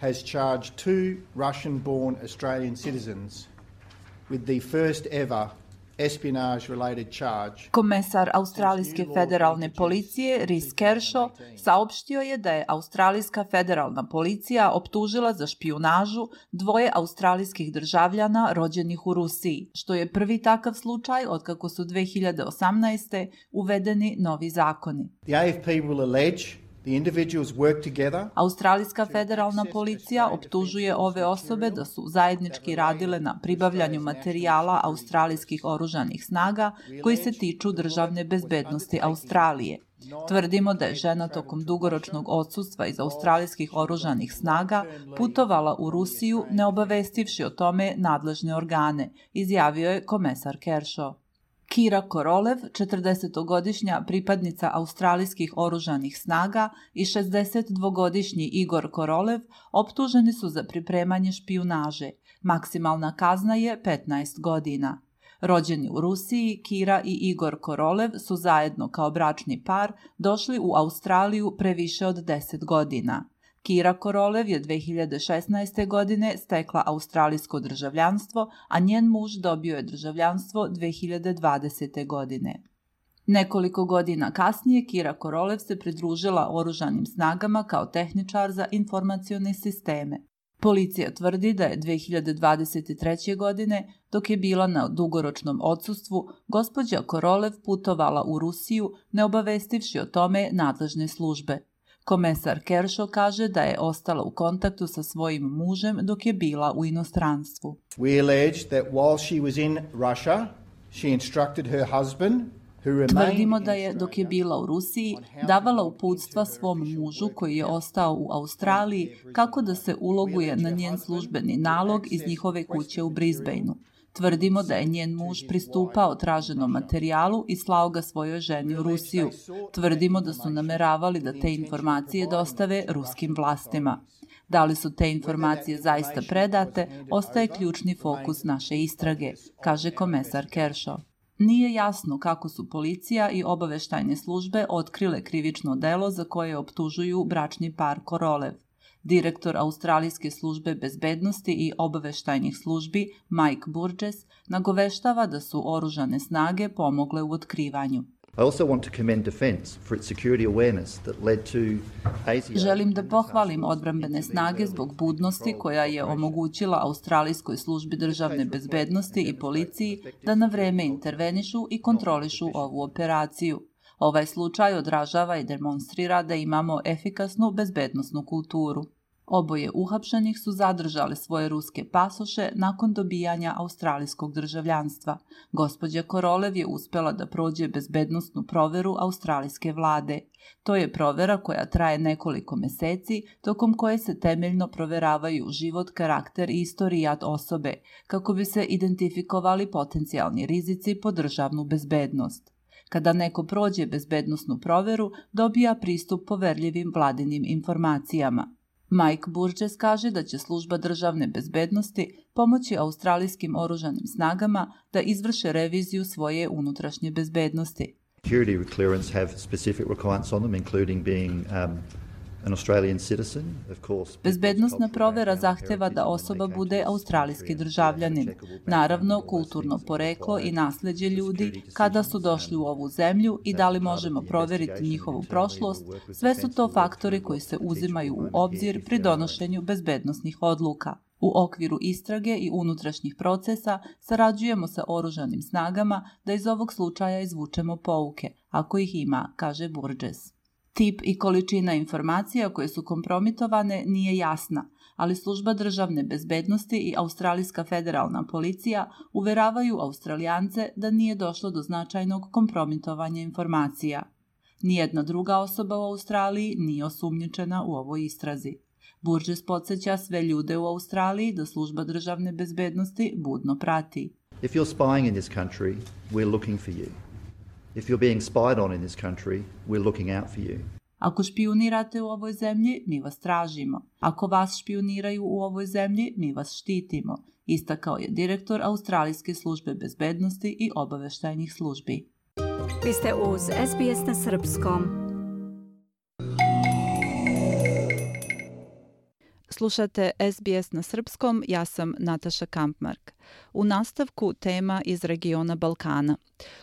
has charged two Russian-born Australian citizens with the first ever espionage-related charge. Komesar australijske federalne policije Rhys Kershaw saopštio je da je australijska federalna policija optužila za špijunažu dvoje australijskih državljana rođenih u Rusiji, što je prvi takav slučaj otkako su dve hiljade osamnaeste. uvedeni novi zakoni. The A F P will allege the individuals work together. Australijska federalna policija optužuje ove osobe da su zajednički radile na pribavljanju materijala australijskih oružanih snaga koji se tiču državne bezbednosti Australije. Tvrdimo da je žena tokom dugoročnog odsustva iz australijskih oružanih snaga putovala u Rusiju ne obavestivši o tome nadležne organe, izjavio je komesar Kershaw. Kira Korolev, četrdesetogodišnja pripadnica australijskih oružanih snaga, i šezdesetdvogodišnji Igor Korolev optuženi su za pripremanje špijunaže. Maksimalna kazna je petnaest godina. Rođeni u Rusiji, Kira i Igor Korolev su zajedno kao bračni par došli u Australiju pre više od deset godina. Kira Korolev je dve hiljade šesnaeste. godine stekla australijsko državljanstvo, a njen muž dobio je državljanstvo dve hiljade dvadesete. godine. Nekoliko godina kasnije Kira Korolev se pridružila oružanim snagama kao tehničar za informacione sisteme. Policija tvrdi da je dve hiljade dvadeset treće. godine, dok je bila na dugoročnom odsustvu, gospođa Korolev putovala u Rusiju ne obavestivši o tome nadležne službe. Komesar Kershaw kaže da je ostala u kontaktu sa svojim mužem dok je bila u inostranstvu. We allege that while she was in Russia, she instructed her husband, Tvrdimo da je, dok je bila u Rusiji, davala uputstva svom mužu koji je ostao u Australiji kako da se uloguje na njen službeni nalog iz njihove kuće u Brisbaneu. Tvrdimo da je njen muž pristupao traženom materijalu i slao ga svojoj ženi u Rusiju. Tvrdimo da su nameravali da te informacije dostave ruskim vlastima. Da li su te informacije zaista predate, ostaje ključni fokus naše istrage, kaže komesar Kershaw. Nije jasno kako su policija i obaveštajne službe otkrile krivično delo za koje optužuju bračni par Korolev. Direktor Australijske službe bezbednosti i obaveštajnih službi Mike Burgess nagoveštava da su oružane snage pomogle u otkrivanju. Želim da pohvalim odbrambene snage zbog budnosti koja je omogućila Australijskoj službi državne bezbednosti i policiji da na vreme intervenišu i kontrolišu ovu operaciju. Ovaj slučaj odražava i demonstrira da imamo efikasnu bezbednosnu kulturu. Oboje uhapšenih su zadržali svoje ruske pasoše nakon dobijanja australijskog državljanstva. Gospođa Korolev je uspela da prođe bezbednosnu proveru australijske vlade. To je provera koja traje nekoliko meseci, tokom koje se temeljno proveravaju život, karakter i istorijat osobe, kako bi se identifikovali potencijalni rizici po državnu bezbednost. Kada neko prođe bezbednosnu proveru, dobija pristup poverljivim vladinim informacijama. Mike Burgess kaže da će služba državne bezbednosti pomoći australijskim oružanim snagama da izvrše reviziju svoje unutrašnje bezbednosti. Security clearance have specific requirements on them, including being um, an Australian citizen, of course. Bezbednosna provera zahteva da osoba bude australijski državljanin. Naravno, kulturno poreklo i nasleđe ljudi, kada su došli u ovu zemlju i da li možemo proveriti njihovu prošlost, sve su to faktori koji se uzimaju u obzir pri donošenju bezbednosnih odluka. U okviru istrage i unutrašnjih procesa sarađujemo sa oružanim snagama da iz ovog slučaja izvučemo pouke, ako ih ima, kaže Burgess. Tip i količina informacija koje su kompromitovane nije jasna, ali služba državne bezbednosti i Australijska federalna policija uveravaju Australijance da nije došlo do značajnog kompromitovanja informacija. Nijedna druga osoba u Australiji nije osumnjičena u ovoj istrazi. Burgess podsjeća sve ljude u Australiji da služba državne bezbednosti budno prati. If you're spying in this country, we're looking for you. If you're being spied on in this country, we're looking out for you. Ako špijunirate u ovoj zemlji, mi vas tražimo. Ako vas špijuniraju u ovoj zemlji, mi vas štitimo, istakao je direktor Australijske službe bezbednosti i obaveštajnih službi. Vi ste uz S B S na srpskom. Slušate S B S na srpskom, ja sam Nataša Kampmark. U nastavku tema iz regiona Balkana.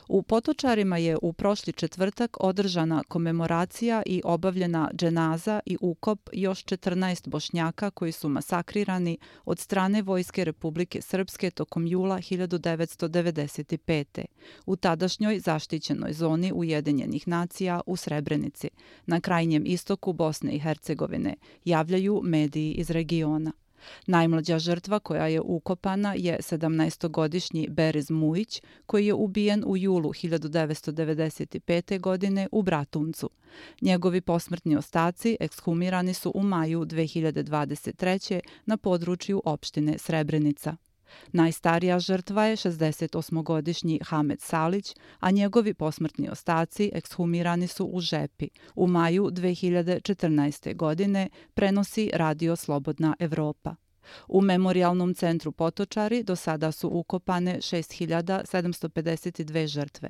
U Potočarima je u prošli četvrtak održana komemoracija i obavljena dženaza i ukop još četrnaest Bošnjaka koji su masakrirani od strane Vojske Republike Srpske tokom jula hiljadu devetsto devedeset pete. u tadašnjoj zaštićenoj zoni Ujedinjenih nacija u Srebrenici, na krajnjem istoku Bosne i Hercegovine, javljaju mediji iz regiona. Najmlađa žrtva koja je ukopana je sedamnaestogodišnji Beriz Mujić, koji je ubijen u julu hiljadu devetsto devedeset pete. godine u Bratuncu. Njegovi posmrtni ostaci ekshumirani su u maju dve hiljade dvadeset treće. na području opštine Srebrenica. Najstarija žrtva je šezdesetosmogodišnji Hamed Salić, a njegovi posmrtni ostaci ekshumirani su u Žepi u maju dve hiljade četrnaeste. godine, prenosi Radio Slobodna Evropa. U Memorijalnom centru Potočari do sada su ukopane šest hiljada sedamsto pedeset dve žrtve.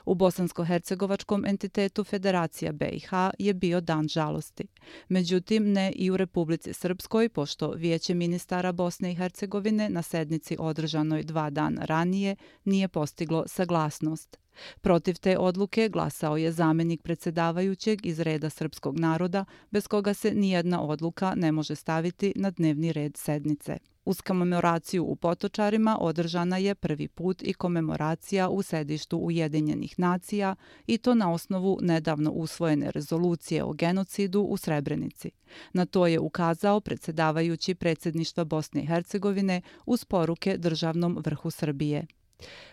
U bosansko-hercegovačkom entitetu Federacija B i H je bio dan žalosti. Međutim, ne i u Republici Srpskoj, pošto Vijeće ministara Bosne i Hercegovine na sednici održanoj dva dana ranije nije postiglo saglasnost. Protiv te odluke glasao je zamenik predsjedavajućeg iz reda srpskog naroda, bez koga se nijedna odluka ne može staviti na dnevni red sednice. Uz komemoraciju u Potočarima održana je prvi put i komemoracija u sedištu Ujedinjenih nacija, i to na osnovu nedavno usvojene rezolucije o genocidu u Srebrenici. Na to je ukazao predsjedavajući predsjedništva Bosne i Hercegovine uz poruke državnom vrhu Srbije.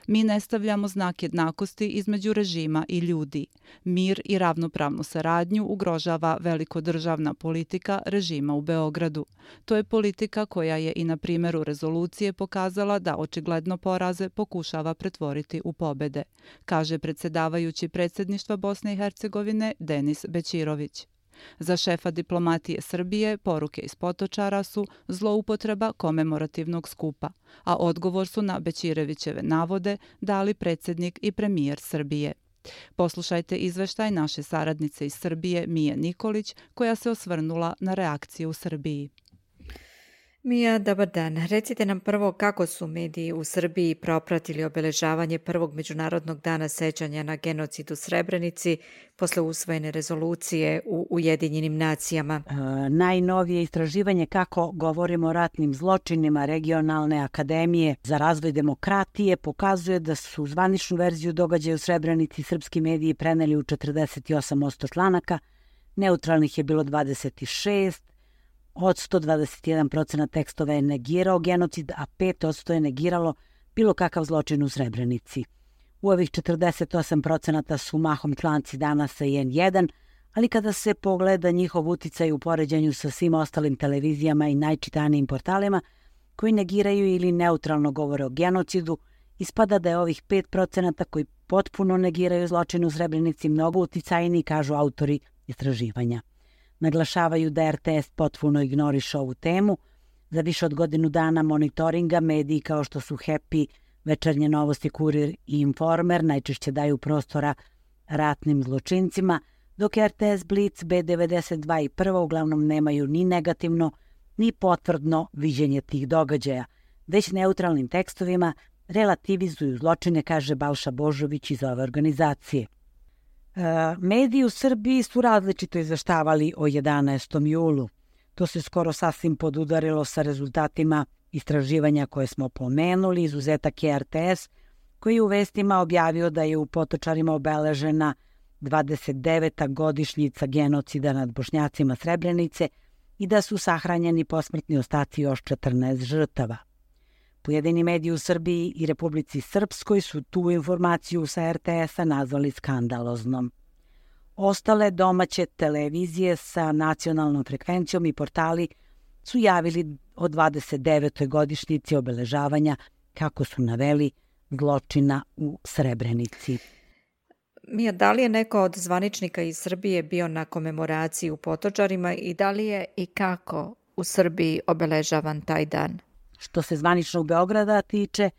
Mi ne stavljamo znak jednakosti između režima i ljudi. Mir i ravnopravnu saradnju ugrožava velikodržavna politika režima u Beogradu. To je politika koja je i na primjeru rezolucije pokazala da očigledno poraze pokušava pretvoriti u pobede, kaže predsjedavajući predsjedništva Bosne i Hercegovine Denis Bećirović. Za šefa diplomatije Srbije poruke iz Potočara su zloupotreba komemorativnog skupa, a odgovor su na Bećirevićeve navode dali predsjednik i premijer Srbije. Poslušajte izveštaj naše saradnice iz Srbije Mije Nikolić koja se osvrnula na reakciju u Srbiji. Mija, dobar dan. Recite nam prvo kako su mediji u Srbiji propratili obeležavanje prvog Međunarodnog dana sećanja na genocid u Srebrenici posle usvojene rezolucije u Ujedinjenim nacijama. E, najnovije istraživanje kako govorimo o ratnim zločinima regionalne akademije za razvoj demokratije pokazuje da su zvaničnu verziju događaja u Srebrenici srpski mediji preneli u četrdeset osam posto članaka, neutralnih je bilo dvadeset šest, od sto dvadeset jedan procenat tekstova je negirao genocid, a pet posto je negiralo bilo kakav zločin u Srebrenici. U ovih četrdeset osam procenata su mahom članci Danasa i en jedan, ali kada se pogleda njihov uticaj u poređenju sa svim ostalim televizijama i najčitanijim portalima koji negiraju ili neutralno govore o genocidu, ispada da je ovih pet procenata koji potpuno negiraju zločin u Srebrenici mnogo uticajniji, kažu autori istraživanja. Naglašavaju da er te es potpuno ignoriše ovu temu. Za više od godinu dana monitoringa mediji kao što su Happy, Večernje novosti, Kurir i Informer najčešće daju prostora ratnim zločincima, dok er te es, Blic, be devedeset dva i Prva uglavnom nemaju ni negativno, ni potvrdno viđenje tih događaja. Već neutralnim tekstovima relativizuju zločine, kaže Balša Božović iz ove organizacije. E, mediji u Srbiji su različito izveštavali o jedanaestom julu. To se skoro sasvim podudarilo sa rezultatima istraživanja koje smo pomenuli. Izuzetak je er te es, koji u vestima objavio da je u Potočarima obeležena dvadeset deveta godišnjica genocida nad Bošnjacima Srebrenice i da su sahranjeni posmrtni ostaci još četrnaest žrtava. Pojedini mediji u Srbiji i Republici Srpskoj su tu informaciju sa er te es-a nazvali skandaloznom. Ostale domaće televizije sa nacionalnom frekvencijom i portali su javili o dvadeset devetoj godišnjici obeležavanja, kako su naveli, zločina u Srebrenici. Mija, da li je neko od zvaničnika iz Srbije bio na komemoraciji u Potočarima i da li je i kako u Srbiji obeležavan taj dan? Što se zvaničnog Beograda tiče,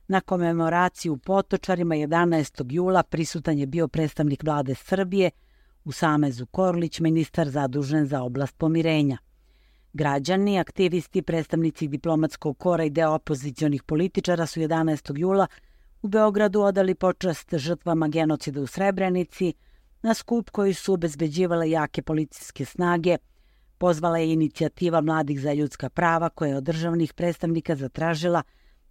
na komemoraciji u Potočarima jedanaestog jula prisutan je bio predstavnik vlade Srbije Usame Zukorlić, ministar zadužen za oblast pomirenja. Građani, aktivisti, predstavnici diplomatskog kora i deo opozicionih političara su jedanaestog jula u Beogradu odali počast žrtvama genocida u Srebrenici. Na skup koji su obezbeđivale jake policijske snage pozvala je inicijativa Mladih za ljudska prava koja je od državnih predstavnika zatražila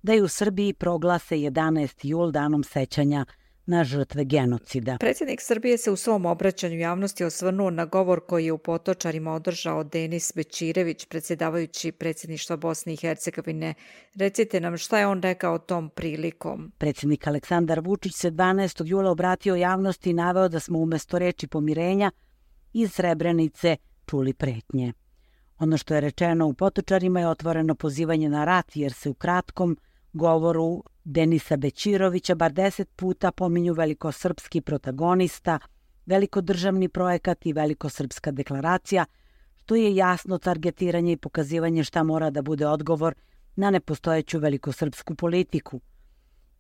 da je u Srbiji proglase jedanaesti jul danom sećanja na žrtve genocida. Predsjednik Srbije se u svom obraćanju javnosti osvrnuo na govor koji je u Potočarima održao Denis Bećirević, predsjedavajući predsjedništva Bosne i Hercegovine. Recite nam šta je on rekao tom prilikom. Predsjednik Aleksandar Vučić se dvanaestog jula obratio javnosti i naveo da smo umjesto reči pomirenja iz Srebrenice čuli pretnje. Ono što je rečeno u Potočarima je otvoreno pozivanje na rat, jer se u kratkom govoru Denisa Bećirovića bar deset puta pominju velikosrpski protagonista, velikodržavni projekat i velikosrpska deklaracija, što je jasno targetiranje i pokazivanje šta mora da bude odgovor na nepostojeću velikosrpsku politiku.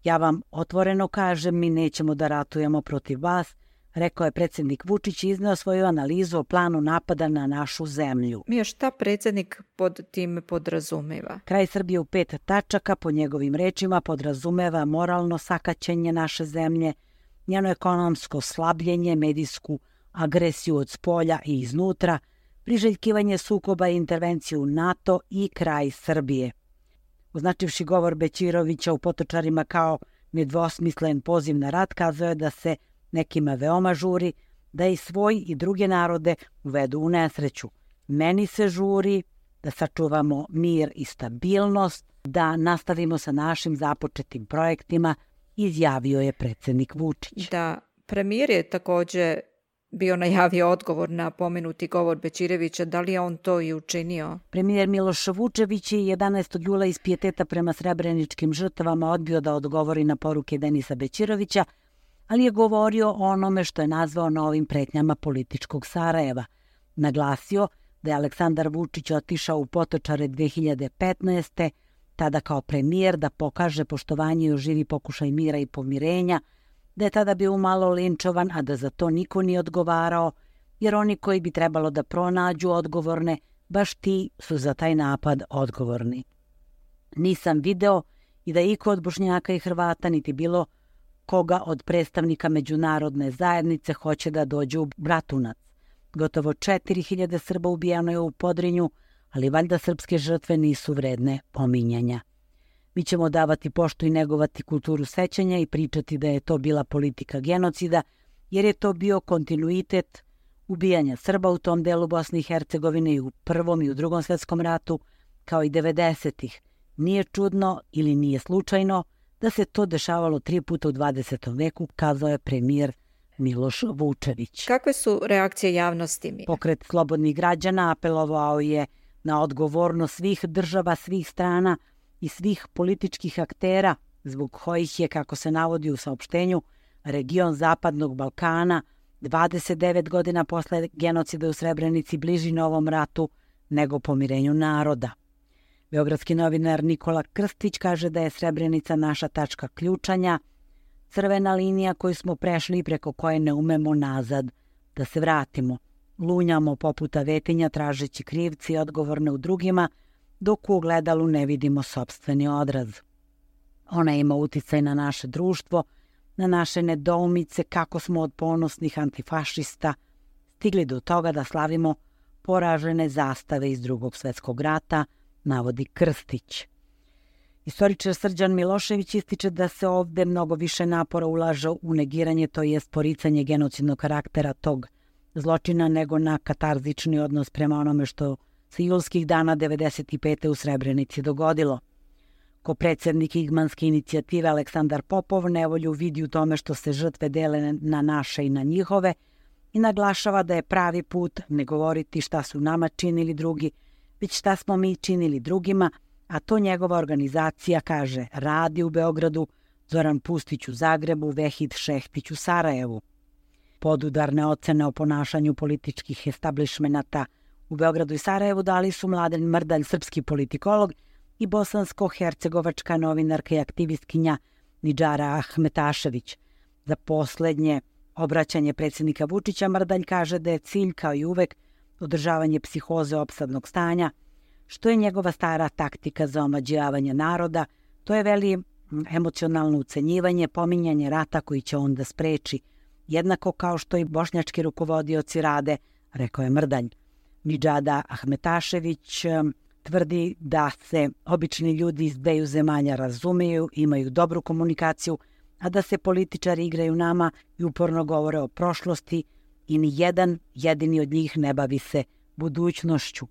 Ja vam otvoreno kažem, mi nećemo da ratujemo protiv vas, rekao je predsjednik Vučić i izneo svoju analizu o planu napada na našu zemlju. Mija, šta predsjednik pod tim podrazumeva? Kraj Srbije u pet tačaka, po njegovim rečima, podrazumeva moralno sakaćenje naše zemlje, njeno ekonomsko slabljenje, medijsku agresiju od spolja i iznutra, priželjkivanje sukoba i intervenciju u NATO i kraj Srbije. Označivši govor Bećirovića u Potočarima kao nedvosmislen poziv na rat, kazao je da se nekima veoma žuri da i svoj i druge narode uvedu u nesreću. Meni se žuri da sačuvamo mir i stabilnost, da nastavimo sa našim započetim projektima, izjavio je predsjednik Vučić. Da, premijer je također bio najavio odgovor na pomenuti govor Bećirevića, da li je on to i učinio? Premijer Miloš Vučević je jedanaestog jula iz pijeteta prema srebreničkim žrtvama odbio da odgovori na poruke Denisa Bećirovića, ali je govorio o onome što je nazvao novim pretnjama političkog Sarajeva. Naglasio da je Aleksandar Vučić otišao u Potočare dve hiljade petnaeste. tada kao premijer da pokaže poštovanje i oživi pokušaj mira i pomirenja, da je tada bio malo linčovan, a da za to niko nije odgovarao, jer oni koji bi trebalo da pronađu odgovorne, baš ti su za taj napad odgovorni. Nisam video i da iko od Bošnjaka i Hrvata niti bilo koga od predstavnika međunarodne zajednice hoće da dođe u Bratunac. Gotovo četiri hiljade Srba ubijano je u Podrinju, ali valjda srpske žrtve nisu vredne pominjanja. Mi ćemo davati poštu i negovati kulturu sećanja i pričati da je to bila politika genocida, jer je to bio kontinuitet ubijanja Srba u tom delu Bosne i Hercegovine i u Prvom i u Drugom svjetskom ratu, kao i devedesetih. Nije čudno ili nije slučajno da se to dešavalo tri puta u dvadesetom veku, kazao je premijer Miloš Vučević. Kakve su reakcije javnosti? Pokret slobodnih građana apelovao je na odgovornost svih država, svih strana i svih političkih aktera, zbog kojih je, kako se navodi u saopštenju, region Zapadnog Balkana dvadeset devet godina posle genocida u Srebrenici bliži novom ratu nego pomirenju naroda. Beogradski novinar Nikola Krstić kaže da je Srebrenica naša tačka ključanja, crvena linija koju smo prešli i preko koje ne umemo nazad da se vratimo. Lunjamo poput avetinja tražeći krivci i odgovorne u drugima, dok u ogledalu ne vidimo sopstveni odraz. Ona ima uticaj na naše društvo, na naše nedoumice kako smo od ponosnih antifašista stigli do toga da slavimo poražene zastave iz Drugog svjetskog rata, navodi Krstić. Istoričar Srđan Milošević ističe da se ovde mnogo više napora ulaže u negiranje, to jest poricanje genocidnog karaktera tog zločina, nego na katarzični odnos prema onome što se julskih dana devedeset pete. u Srebrenici dogodilo. Ko predsjednik Igmanske inicijative Aleksandar Popov nevolju vidi u tome što se žrtve dele na naše i na njihove i naglašava da je pravi put ne govoriti šta su nama činili drugi, već šta smo mi činili drugima, a to njegova organizacija kaže radi u Beogradu, Zoran Pustić u Zagrebu, Vehid Šehtić u Sarajevu. Podudarne ocene o ponašanju političkih establishmenata u Beogradu i Sarajevu dali su Mladen Mrdalj, srpski politikolog, i bosansko-hercegovačka novinarka i aktivistkinja Nidžara Ahmetašević. Za posljednje obraćanje predsjednika Vučića Mrdalj kaže da je cilj, kao i uvek, održavanje psihoze opsadnog stanja, što je njegova stara taktika za omađivanje naroda. To je, veli, emocionalno ucenjivanje, pominjanje rata koji će onda spreči, jednako kao što i bošnjački rukovodioci rade, rekao je Mrdalj. Nidžada Ahmetašević tvrdi da se obični ljudi iz dveju zemalja razumeju, imaju dobru komunikaciju, a da se političari igraju nama i uporno govore o prošlosti i ni jedan jedini od njih ne bavi se budućnošću.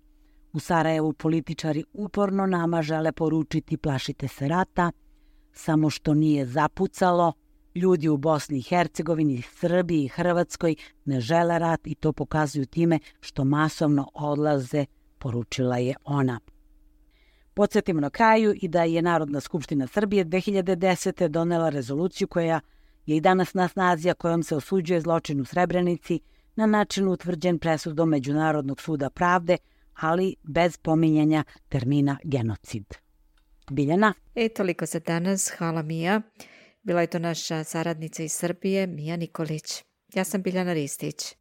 U Sarajevu političari uporno nama žele poručiti plašite se rata, samo što nije zapucalo. Ljudi u Bosni i Hercegovini, Srbiji i Hrvatskoj ne žele rat i to pokazuju time što masovno odlaze, poručila je ona. Podsjetimo na kraju i da je Narodna skupština Srbije dve hiljade desete. donela rezoluciju koja je i danas na snazi, a kojom se osuđuje zločin u Srebrenici na način utvrđen presudom Međunarodnog suda pravde, ali bez pominjanja termina genocid. Biljana? E, toliko za danas. Hvala, Mija. Bila je to naša saradnica iz Srbije, Mija Nikolić. Ja sam Biljana Ristić.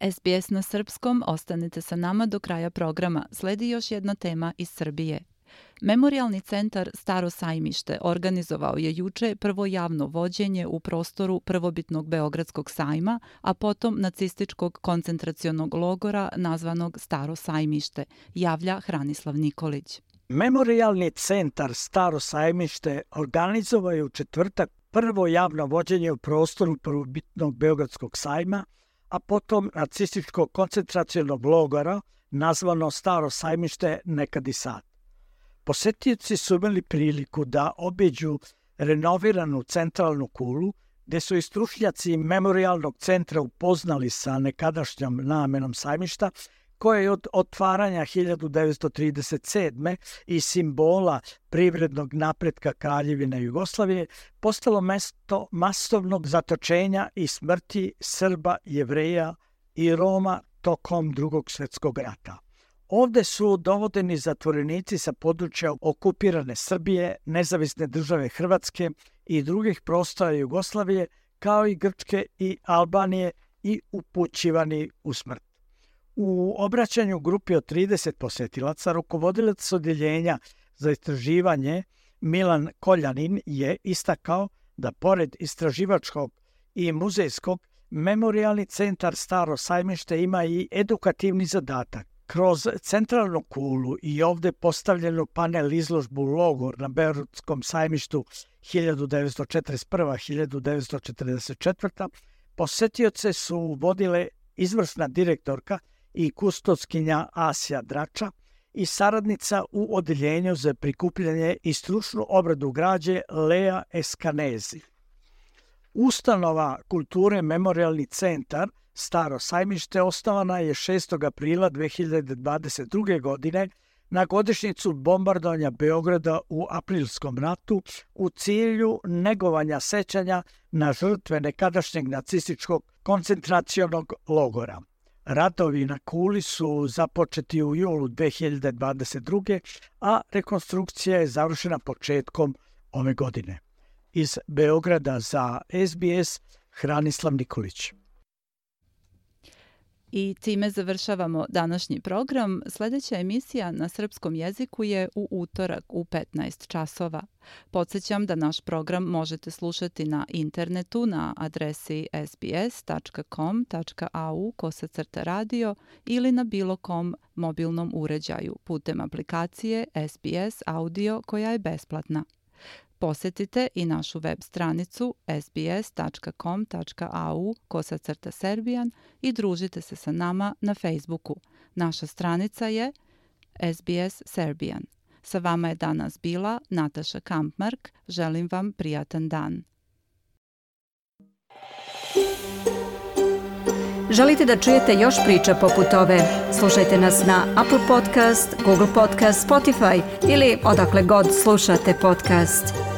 S B S na srpskom, ostanite sa nama do kraja programa. Sledi još jedna tema iz Srbije. Memorijalni centar Staro sajmište organizovao je juče prvo javno vođenje u prostoru prvobitnog Beogradskog sajma, a potom nacističkog koncentracionog logora nazvanog Staro sajmište, javlja Hranislav Nikolić. Memorijalni centar Staro sajmište organizovao je u četvrtak prvo javno vođenje u prostoru prvobitnog Beogradskog sajma, a potom nacističkog koncentracionog logora nazvano Staro sajmište, nekad i sad. Posetioci su imali priliku da obiđu renoviranu centralnu kulu, gde su i stručnjaci memorialnog centra upoznali sa nekadašnjom namenom sajmišta, koje je od otvaranja hiljadu devetsto trideset sedme i simbola privrednog napretka Kraljevine Jugoslavije postalo mesto masovnog zatočenja i smrti Srba, Jevreja i Roma tokom Drugog svjetskog rata. Ovde su dovodeni zatvorenici sa područja okupirane Srbije, nezavisne države Hrvatske i drugih prostora Jugoslavije, kao i Grčke i Albanije, i upućivani u smrt. U obraćanju grupi od trideset posetilaca, rukovodilac odjeljenja za istraživanje Milan Koljanin je istakao da pored istraživačkog i muzejskog, Memorijalni centar Staro sajmište ima i edukativni zadatak. Kroz centralnu kulu i ovde postavljenu panel izložbu Logor na Beogradskom sajmištu hiljadu devetsto četrdeset prva do hiljadu devetsto četrdeset četvrta posetioce su vodile izvrsna direktorka i kustoskinja Asja Drača i saradnica u odeljenju za prikupljanje i stručnu obradu građe Lea Eskanezi. Ustanova kulture Memorijalni centar Staro sajmište osnovana je šestog aprila dve hiljade dvadeset druge. godine na godišnjicu bombardovanja Beograda u Aprilskom ratu u cilju negovanja sećanja na žrtve nekadašnjeg nacističkog koncentracionog logora. Radovi na kuli su započeti u julu dve hiljade dvadeset druge. a rekonstrukcija je završena početkom ove godine. Iz Beograda za S B S, Hranislav Nikolić. I time završavamo današnji program. Sljedeća emisija na srpskom jeziku je u utorak u petnaest časova. Podsjećam da naš program možete slušati na internetu na adresi s b s tačka com tačka a u kosacrta radio ili na bilo kom mobilnom uređaju putem aplikacije S B S Audio koja je besplatna. Posjetite i našu web stranicu s b s tačka com tačka a u kosacrta serbian i družite se sa nama na Facebooku. Naša stranica je S B S Serbian. Sa vama je danas bila Nataša Kampmark. Želim vam prijatan dan. Želite da čujete još priča poput ove? Slušajte nas na Apple Podcast, Google Podcast, Spotify ili odakle god slušate podcast.